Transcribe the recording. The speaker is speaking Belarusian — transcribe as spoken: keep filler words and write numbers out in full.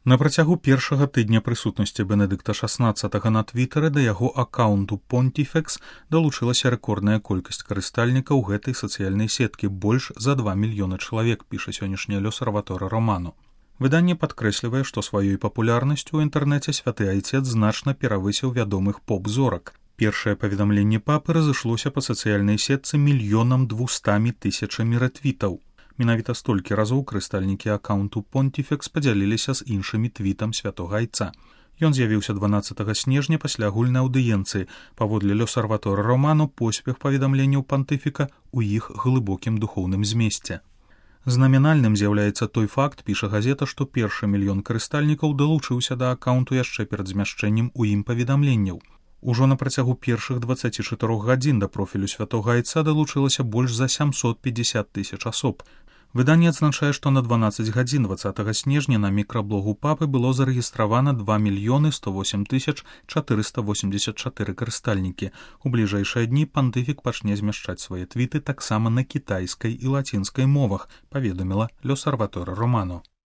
На працягу першага тыдня прысутнасці Бенедыкта шаснаццатага на твітары да яго акаунту Pontifex далучылася рэкордная колькасць карыстальнікаў гэтай сацыяльнай сеткі, больш за два мільёны чалавек, піша сённяшняе L'Osservatore Romano. Выданне падкрэслівае, што сваёй папулярнасцю ў інтэрнэце святы айцец значна перавысіў вядомых поп-зорак. Першае паведамленне папы разышлося па сацыяльнай сетцы мільёнам двумстамі тысячамі рэтвітаў. Менавіта столькі разоў карыстальнікі акаунту Pontifex падзяліліся з іншымі твітам святога айца. Ён з'явіўся дванаццатага снежня пасля агульнай аўдыенцыі. Паводле L'Osservatore Romano поспех паведамленняў пантыфіка ў іх глыбокім духоўным змесце. Знаменальным з'яўляецца той факт, піша газета, што першы мільён карыстальнікаў далучыўся да акаунту яшчэ перад змяшчэннем у ім паведамленняў. Ужо на працягу першых дваццаці чатырох гадзін да профілю святога айца далучылася больш за сямсот пятьдесят тысяч асоб. Выданне адзначае, што на дванаццаць гадзін дваццатага снежня на мікраблогу папы было зарэгістравана два мільёны сто восем тысяч чатырыста восемьдесят чатыры карыстальнікі. У бліжэйшыя дні пантыфік пачне змяшчаць свае твіты таксама на кітайскай і лацінскай мовах, паведаміла L'Osservatore Romano.